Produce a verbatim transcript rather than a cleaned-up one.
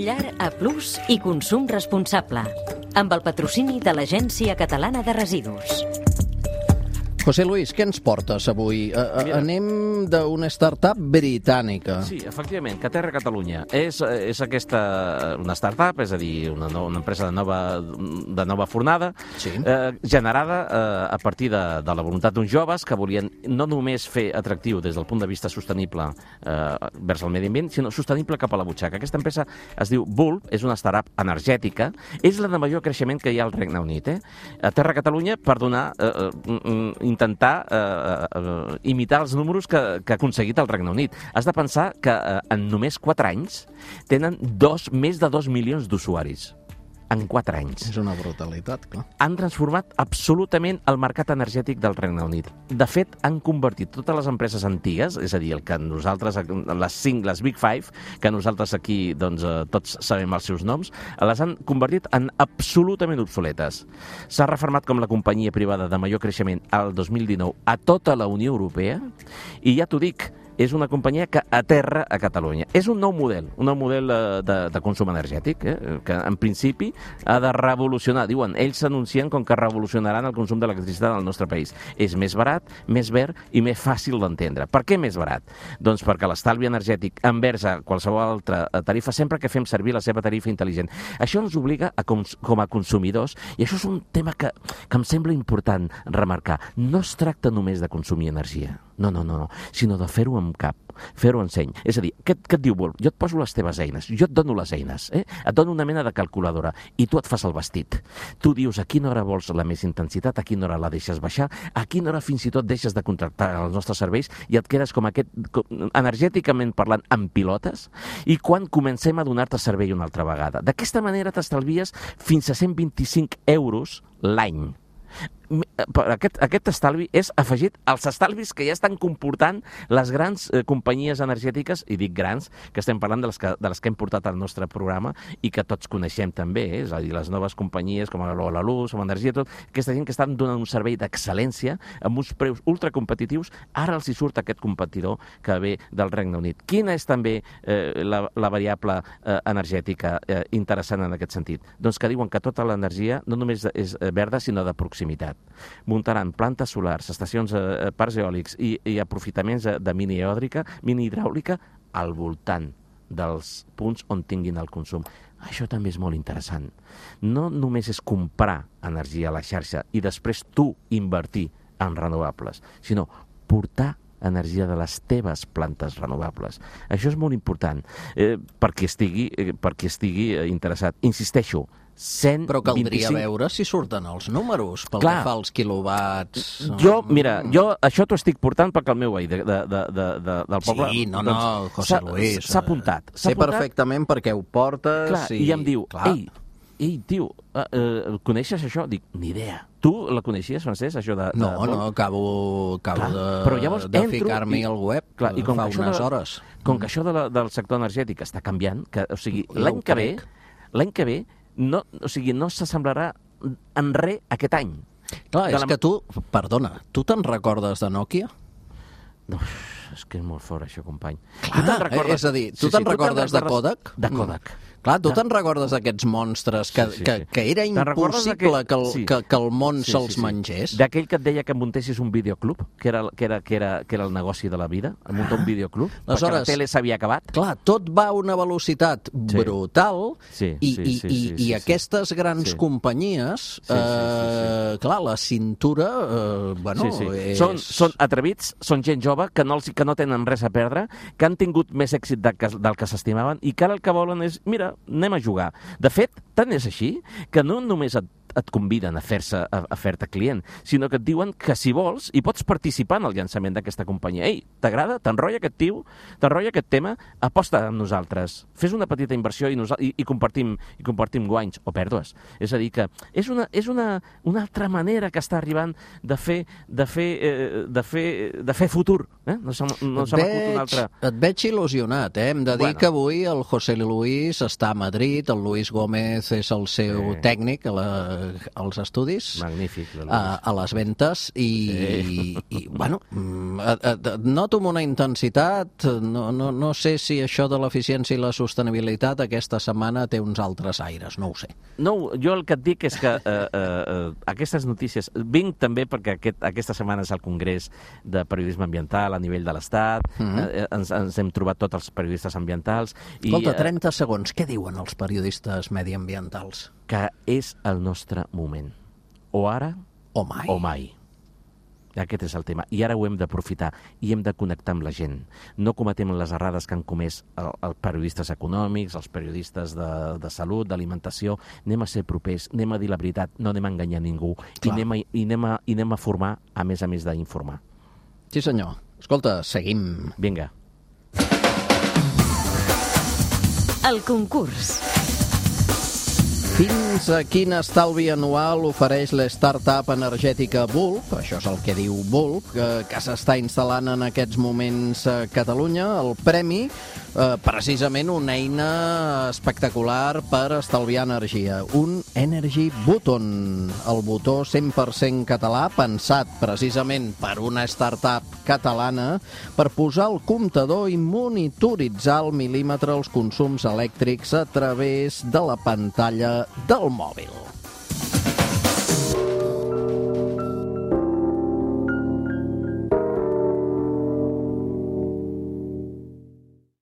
Llar A Plus i consum responsable, amb el patrocini de l'Agència Catalana de Residus. José Luis, què ens portes avui? A, a, anem d'una startup britànica. Sí, efectivament, Caterra Catalunya. És, és aquesta una startup, és a dir, una, no, una empresa de nova, de nova fornada, sí. eh, generada eh, a partir de, de la voluntat d'uns joves que volien no només fer atractiu des del punt de vista sostenible eh, vers el medi ambient, sinó sostenible cap a la butxaca. Aquesta empresa es diu Bulb, és una startup energètica, és la de major creixement que hi ha al Regne Unit. Eh? A Terra Catalunya, per donar... Eh, eh, intentar eh, eh, imitar els números que, que ha aconseguit el Regne Unit. Has de pensar que eh, en només quatre anys tenen dos, més de dos milions d'usuaris. En quatre anys. És una brutalitat, clar. Han transformat absolutament el mercat energètic del Regne Unit. De fet, han convertit totes les empreses antigues, és a dir, el que nosaltres, les cinc, les Big Five, que nosaltres aquí doncs, tots sabem els seus noms, les han convertit en absolutament obsoletes. S'ha reformat com la companyia privada de major creixement al dos mil dinou a tota la Unió Europea, i ja t'ho dic, és una companyia que aterra a Catalunya. És un nou model, un nou model de, de consum energètic, eh? que en principi ha de revolucionar. Diuen, ells s'anuncien com que revolucionaran el consum d'electricitat al nostre país. És més barat, més verd i més fàcil d'entendre. Per què més barat? Doncs perquè l'estalvi energètic envers a qualsevol altra tarifa, sempre que fem servir la seva tarifa intel·ligent. Això ens obliga a, com, com a consumidors, i això és un tema que, que em sembla important remarcar. No es tracta només de consumir energia. No, no, no, no, sinó de fer-ho amb cap, fer-ho en seny. És a dir, què, què et diu Bulb? Jo et poso les teves eines, jo et dono les eines, eh? et dono una mena de calculadora i tu et fas el vestit. Tu dius a quina hora vols la més intensitat, a quina hora la deixes baixar, a quina hora fins i tot deixes de contractar els nostres serveis i et quedes com aquest, com, energèticament parlant, amb pilotes, i quan comencem a donar-te servei una altra vegada. D'aquesta manera t'estalvies fins a cent vint-i-cinc euros l'any. Aquest, aquest estalvi és afegit als estalvis que ja estan comportant les grans eh, companyies energètiques, i dic grans, que estem parlant de les que, de les que hem portat al nostre programa i que tots coneixem també, eh? És a dir, les noves companyies com la Luz, com Energia, tot, aquesta gent que estan donant un servei d'excel·lència amb uns preus ultracompetitius, ara els hi surt aquest competidor que ve del Regne Unit. Quina és també eh, la, la variable eh, energètica eh, interessant en aquest sentit? Doncs que diuen que tota l'energia no només és verda, sinó de proximitat. Muntaran plantes solars, estacions, eh, parcs eòlics i, i aprofitaments de mini eòdrica, mini hidràulica al voltant dels punts on tinguin el consum. Això també és molt interessant. No només és comprar energia a la xarxa i després tu invertir en renovables, sinó portar energia de les teves plantes renovables. Això és molt important eh, perquè estigui, eh, perquè estigui eh, interessat. Insisteixo, cent vint-i-cinc... Però caldria veure si surten els números pel Clar. que fa als quilowatts. Jo, mira, jo això t'ho estic portant perquè el meu veí de, de, de, de, de, del poble... Sí, no, no, doncs, José Luis. S'ha apuntat. Sé perfectament per què ho portes. Clar, i... i em diu, Clar. ei, ei, tio, uh, uh, coneixes això? Dic, ni idea. Tu la coneixies, Francesc, això de... No, de... no, acabo, acabo clar, de, però llavors de entro ficar-m'hi i... al web clar, i com fa que unes de, hores. Com que això de la, del sector energètic està canviant, que, o sigui, l'any que ve, l'any que ve, no, o sigui, no s'assemblarà en res aquest any. Clar, és la... que tu, perdona, tu te'n recordes de Nokia? No, és que és molt fort això, company. Clar, recordes... és a dir, tu sí, te'n sí, recordes tu de Kodak? De Kodak. Clar, tu te'n recordes d'aquests monstres que, sí, sí, sí. que, que era impossible que el, sí. que, que el món sí, se'ls sí, sí. mengés? D'aquell que et deia que muntessis un videoclub, que era, que era, que era, que era el negoci de la vida, muntar un videoclub, ah. perquè la tele s'havia acabat. Clar, tot va a una velocitat sí. brutal sí, i, sí, i, sí, i, sí, sí, i aquestes grans sí. companyies, sí, sí, sí, sí. Eh, clar, la cintura, eh, bueno, sí, sí. és... Són, són atrevits, són gent jove, que no, els, que no tenen res a perdre, que han tingut més èxit del que, del que s'estimaven i que ara el que volen és, mira, anem a jugar. De fet, tant és així que no només et, et conviden a fer-se a, a fer-te client, sinó que et diuen que si vols hi pots participar en el llançament d'aquesta companyia. Ei, t'agrada? T'enrotlla aquest tio? T'enrotlla aquest tema? Aposta amb nosaltres. Fes una petita inversió i, i, i, compartim, i compartim guanys o pèrdues. És a dir, que és una, és una, una altra manera que està arribant de fer, de fer, eh, de fer, de fer futur. Eh? No s'ha no veig, un altre... Et veig il·lusionat, eh? Hem de dir bueno. que avui el José Luis està a Madrid, el Luis Gómez és el seu sí. tècnic, la, als estudis. Magnífic. A, a les ventes i, sí. i, i bueno, noto una intensitat, no, no, no sé si això de l'eficiència i la sostenibilitat aquesta setmana té uns altres aires, no ho sé. No, jo el que et dic és que eh, eh, aquestes notícies... Vinc també perquè aquest, aquesta setmana és el Congrés de Periodisme Ambiental a nivell de l'Estat, mm-hmm. eh, ens, ens hem trobat tots els periodistes ambientals. Escolta, trenta segons, què diuen els periodistes mediambientals? Que és el nostre moment. O ara o mai. O mai. Aquest és el tema. I ara ho hem d'aprofitar i hem de connectar amb la gent. No cometem les errades que han comès els periodistes econòmics, els periodistes de, de salut, d'alimentació. Anem a ser propers, anem a dir la veritat, no anem a enganyar ningú i anem a, i, anem a, i anem a formar, a més a més d'informar. Sí, senyor. Escolta, seguim. Vinga. El concurs. Fins a quin estalvi anual ofereix la startup energètica Bulb, això és el que diu Bulb, que, que s'està instal·lant en aquests moments a Catalunya. El premi, eh, precisament una eina espectacular per estalviar energia, un Energy Button, el botó cent per cent català, pensat precisament per una startup catalana per posar el comptador i monitoritzar al mil·límetre els consums elèctrics a través de la pantalla del mòbil.